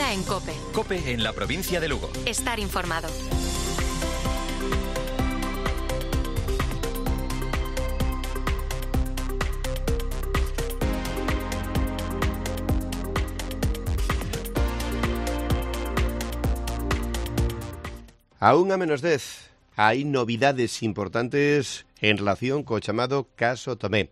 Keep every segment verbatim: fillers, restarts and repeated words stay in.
Herrera en COPE. COPE en la provincia de Lugo. Estar informado. A unha menos dez, hai novidades importantes en relación co chamado caso Tomé.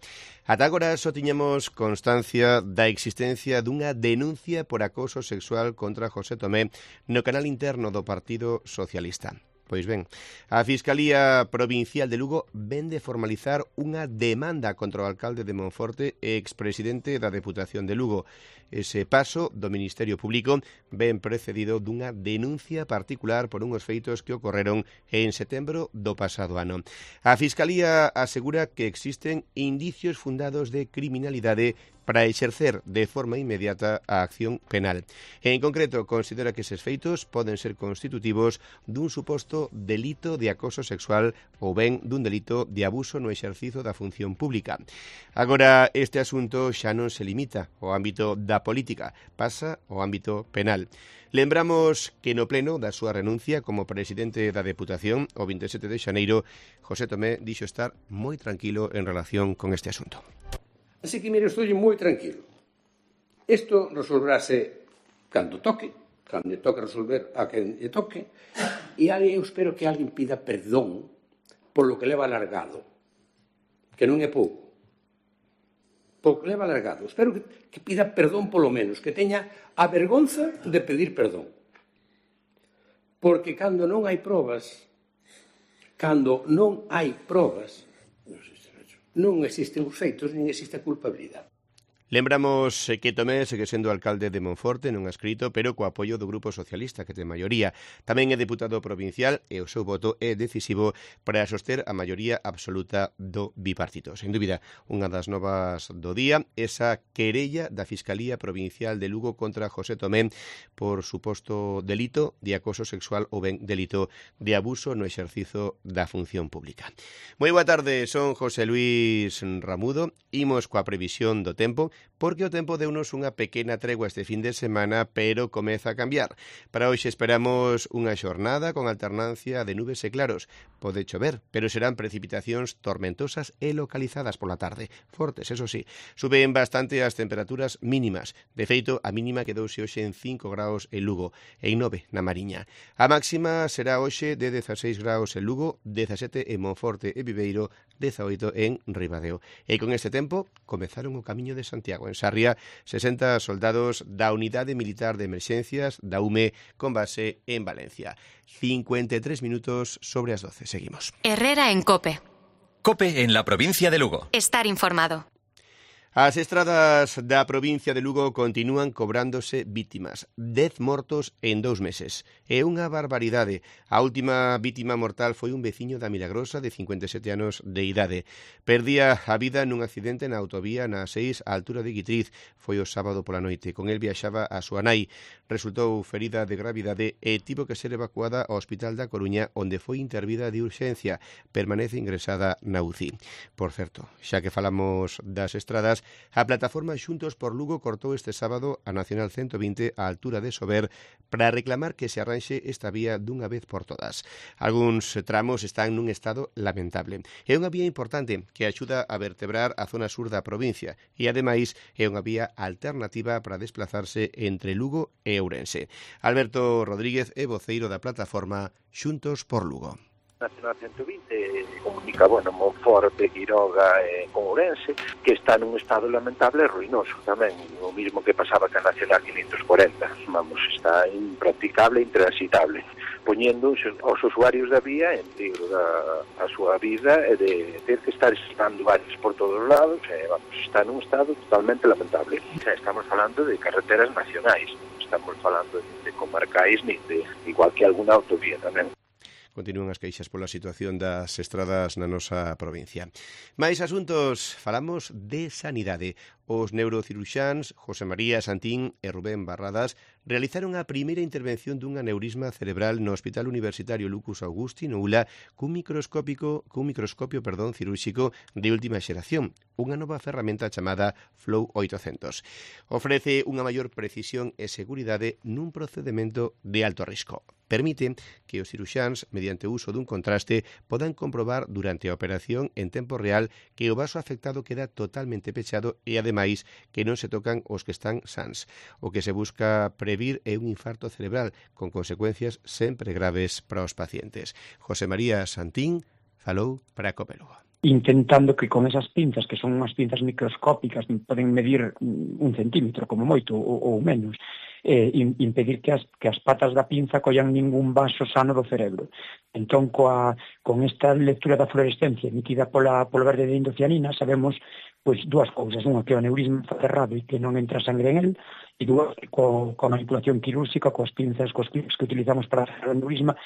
Ata agora só tiñamos constancia da existencia dunha denuncia por acoso sexual contra José Tomé no canal interno do Partido Socialista. Pois ben, a Fiscalía Provincial de Lugo ven de formalizar unha demanda contra o alcalde de Monforte e expresidente da Deputación de Lugo. Ese paso do Ministerio Público ven precedido dunha denuncia particular por unhos feitos que ocorreron en setembro do pasado ano. A Fiscalía asegura que existen indicios fundados de criminalidade para exercer de forma inmediata a acción penal. En concreto, considera que eses feitos poden ser constitutivos dun suposto delito de acoso sexual ou ben dun delito de abuso no exercizo da función pública. Agora, este asunto xa non se limita ao ámbito da política, pasa ao ámbito penal. Lembramos que no pleno da súa renuncia como presidente da Deputación o vinte e sete de xaneiro, José Tomé dixo estar moi tranquilo en relación con este asunto. Así que, mire, estou moi tranquilo. Isto resolverase cando toque, cando lle toque resolver a quen lle toque, e eu espero que alguén pida perdón polo que leva alargado, que non é pouco. Polo que leva alargado. Espero que, que pida perdón polo menos, que teña a vergonza de pedir perdón. Porque cando non hai probas, cando non hai probas, non existen os feitos, nin existe a culpabilidade. Lembramos que Tomé segue sendo alcalde de Monforte, non ha escrito, pero co apoio do Grupo Socialista, que ten maioría. Tamén é deputado provincial e o seu voto é decisivo para soster a maioría absoluta do bipartito. Sen dúbida, unha das novas do día, esa querella da Fiscalía Provincial de Lugo contra José Tomé por suposto delito de acoso sexual ou ben delito de abuso no exercizo da función pública. Moi boa tarde, son José Luis Ramudo. Imos coa previsión do tempo, porque o tempo deunos unha pequena tregua este fin de semana, pero comeza a cambiar. Para hoxe esperamos unha xornada con alternancia de nubes e claros. Pode chover, pero serán precipitacións tormentosas e localizadas pola tarde. Fortes, eso sí. Suben bastante as temperaturas mínimas. De feito, a mínima quedouse hoxe en cinco graus en Lugo e en nove na Mariña. A máxima será hoxe de dezaseis graus en Lugo, dezasete en Monforte e Viveiro, dezaoito en Ribadeo. E con este tempo comezaron o camiño de Santiago. En Sarria, sesenta soldados da Unidade Militar de Emerxencias da U M E con base en Valencia. cincuenta e tres minutos sobre as doce. Seguimos. Herrera en COPE. COPE en la provincia de Lugo. Estar informado. As estradas da provincia de Lugo continúan cobrándose vítimas. Dez mortos en dous meses. É unha barbaridade. A última vítima mortal foi un veciño da Milagrosa de cincuenta e sete anos de idade. Perdía a vida nun accidente na autovía na seis á altura de Guitriz. Foi o sábado pola noite. Con el viaxaba a súa nai. Resultou ferida de gravidade e tivo que ser evacuada ao Hospital da Coruña, onde foi intervida de urxencia. Permanece ingresada na U C I. Por certo, xa que falamos das estradas, a plataforma Xuntos por Lugo cortou este sábado a Nacional ciento vinte á altura de Sober para reclamar que se arranxe esta vía dunha vez por todas. Algúns tramos están nun estado lamentable. É unha vía importante que axuda a vertebrar a zona sur da provincia e, ademais, é unha vía alternativa para desplazarse entre Lugo e Ourense. Alberto Rodríguez é voceiro da plataforma Xuntos por Lugo. Nacional ciento vinte comunica, bueno, Monforte, Quiroga e con Ourense, que está nun estado lamentable e ruinoso tamén, o mismo que pasaba que a Nacional quinientos cuarenta, vamos, está impracticable e intransitable, poñendo os usuarios da vía en peligro da a súa vida e de ter que estar estando varios por todos os lados, e, vamos, está nun estado totalmente lamentable. Xa estamos falando de carreteras nacionais, estamos falando de comarcais, ni de, igual que alguna autovía tamén. Continúan as queixas pola situación das estradas na nosa provincia. Mais asuntos, falamos de sanidade. Os neurociruxáns José María Santín e Rubén Barradas realizaron a primeira intervención dun aneurisma cerebral no Hospital Universitario Lucus Augusti no U L A cun microscópico, cun microscopio perdón, cirúrxico de última xeración, unha nova ferramenta chamada Flow oitocentos. Ofrece unha maior precisión e seguridade nun procedimento de alto risco. Permite que os ciruxáns, mediante o uso dun contraste, podan comprobar durante a operación en tempo real que o vaso afectado queda totalmente pechado e, ademais, que non se tocan os que están sans. O que se busca previr é un infarto cerebral, con consecuencias sempre graves para os pacientes. José María Santín falou para Copelugo. Intentando que con esas pinzas, que son unhas pinzas microscópicas, poden medir un centímetro, como moito, ou, ou menos, eh, impedir que as, que as patas da pinza collan ningún vaso sano do cerebro. Entón, coa, con esta lectura da fluorescencia emitida pola, pola verde de indocianina, sabemos pois dúas cousas. Unha, que o aneurisma está cerrado e que non entra sangre en el, e dúas, co, coa manipulación quirúrxica, coas pinzas, cos clips que utilizamos para hacer o aneurisma,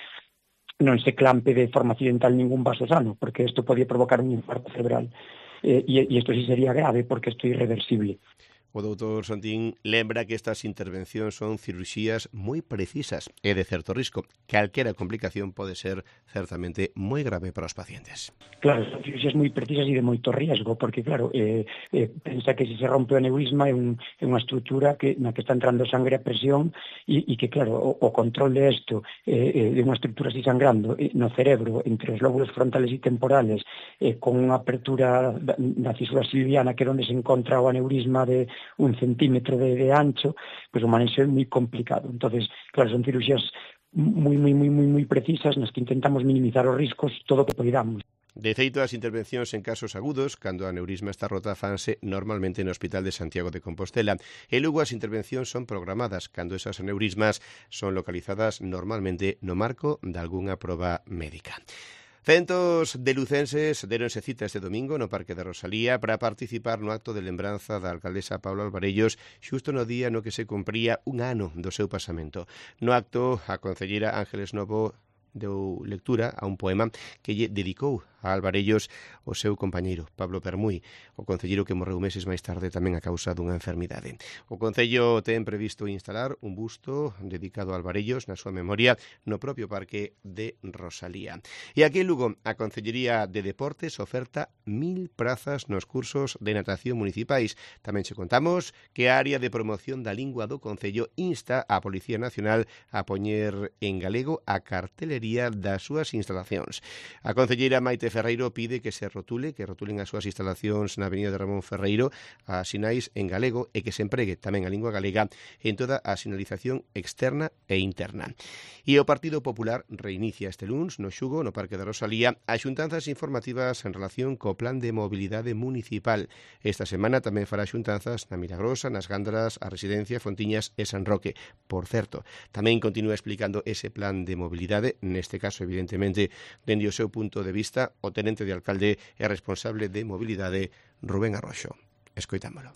non se clampe de forma accidental ningún vaso sano, porque isto podía provocar un infarto cerebral. Eh, e, e isto sí sería grave, porque isto é irreversible. O doutor Santín lembra que estas intervencións son cirurxías moi precisas e de certo risco. Calquera complicación pode ser certamente moi grave para os pacientes. Claro, son cirurxías moi precisas e de moito riesgo, porque, claro, eh, eh, pensa que se se rompe o aneurisma é, un, é unha estrutura que, na que está entrando sangre a presión e, e que, claro, o, o control de isto, eh, de unha estrutura así sangrando eh, no cerebro, entre os lóbulos frontales e temporales, eh, con unha apertura da, da cisura silviana, que é onde se encontra o aneurisma de un centímetro de, de ancho, pois pues o manexo é moi complicado. Entonces, claro, son cirurxías moi, moi, moi, moi, moi precisas nas que intentamos minimizar os riscos todo o que podamos. De feito, as intervencións en casos agudos, cando a aneurisma está rota, fanse normalmente no Hospital de Santiago de Compostela. E logo as intervencións son programadas, cando esas aneurismas son localizadas normalmente no marco de algunha proba médica. Centos de lucenses deronse cita este domingo no Parque de Rosalía para participar no acto de lembranza da alcaldesa Paula Alvarellos xusto no día no que se cumpría un ano do seu pasamento. No acto, a concelleira Ángeles Novo deu lectura a un poema que lle dedicou a Alvarellos o seu compañeiro, Pablo Permuy, o concelleiro que morreu meses máis tarde tamén a causa dunha enfermidade. O Concello ten previsto instalar un busto dedicado a Alvarellos na súa memoria no propio Parque de Rosalía. E aquí en Lugo, a Concellería de Deportes oferta mil prazas nos cursos de natación municipais. Tamén che contamos que a área de promoción da lingua do Concello insta a Policía Nacional a poñer en galego a cartelería das súas instalacións. A concelleira Maite Ferreiro pide que se rotule, que rotulen as súas instalacións na avenida de Ramón Ferreiro a sinais en galego e que se empregue tamén a lingua galega en toda a sinalización externa e interna. E o Partido Popular reinicia este luns no Xugo, no Parque de Rosalía, as xuntanzas informativas en relación co Plan de Mobilidade Municipal. Esta semana tamén fará xuntanzas na Milagrosa, nas Gándaras, a Residencia, Fontiñas e San Roque. Por certo, tamén continúa explicando ese plan de mobilidade, neste caso, evidentemente, dende o seu punto de vista, o tenente de alcalde e responsable de mobilidade, Rubén Arroxo. Escoitámolo.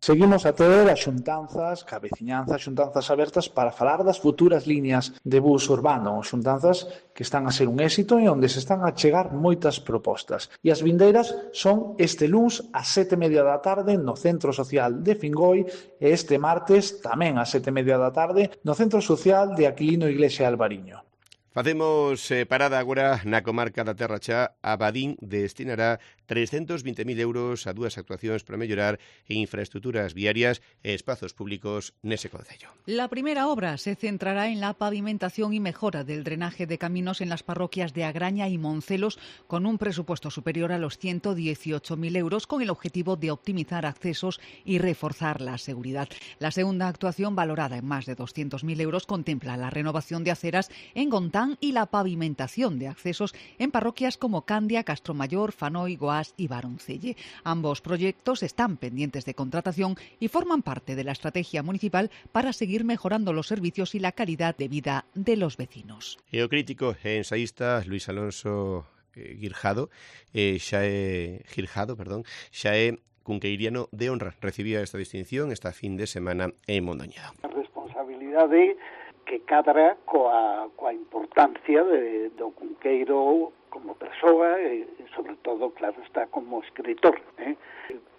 Seguimos a ter as xuntanzas, ca veciñanza, xuntanzas abertas para falar das futuras líneas de bus urbano, xuntanzas que están a ser un éxito e onde se están a chegar moitas propostas. E as vindeiras son este luns ás sete e media da tarde no Centro Social de Fingoi e este martes tamén ás sete e media da tarde no Centro Social de Aquilino Iglesia Alvariño. Facemos eh, parada agora na comarca da Terra Chá. A Badín destinará trescentos vinte mil euros a dúas actuacións para mellorar infraestructuras viarias e espazos públicos nese concello. La primera obra se centrará en la pavimentación y mejora del drenaje de caminos en las parroquias de Agraña y Moncelos, con un presupuesto superior a los ciento dieciocho mil euros, con el objetivo de optimizar accesos y reforzar la seguridad. La segunda actuación, valorada en más de doscientos mil euros, contempla la renovación de aceras en Gontán y la pavimentación de accesos en parroquias como Candia, Castromayor, Fanoy, Goás y Baroncelle. Ambos proyectos están pendientes de contratación y forman parte de la estrategia municipal para seguir mejorando los servicios y la calidad de vida de los vecinos. E o crítico e ensaísta Luis Alonso eh, Girjado, eh, xa é Girjado, perdón, xa é cunqueiriano de honra. Recibía esta distinción esta fin de semana en Mondoñedo. A responsabilidade que cadra coa, coa importancia de, do Cunqueiro como persoa e, sobre todo, claro, está como escritor. Eh?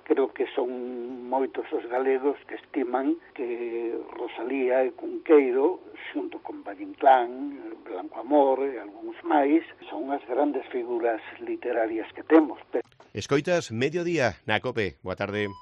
creo que son moitos os galegos que estiman que Rosalía e Cunqueiro, xunto con Valle Inclán, Blanco Amor e algúns máis, son as grandes figuras literarias que temos. Escoitas Mediodía na COPE. Boa tarde.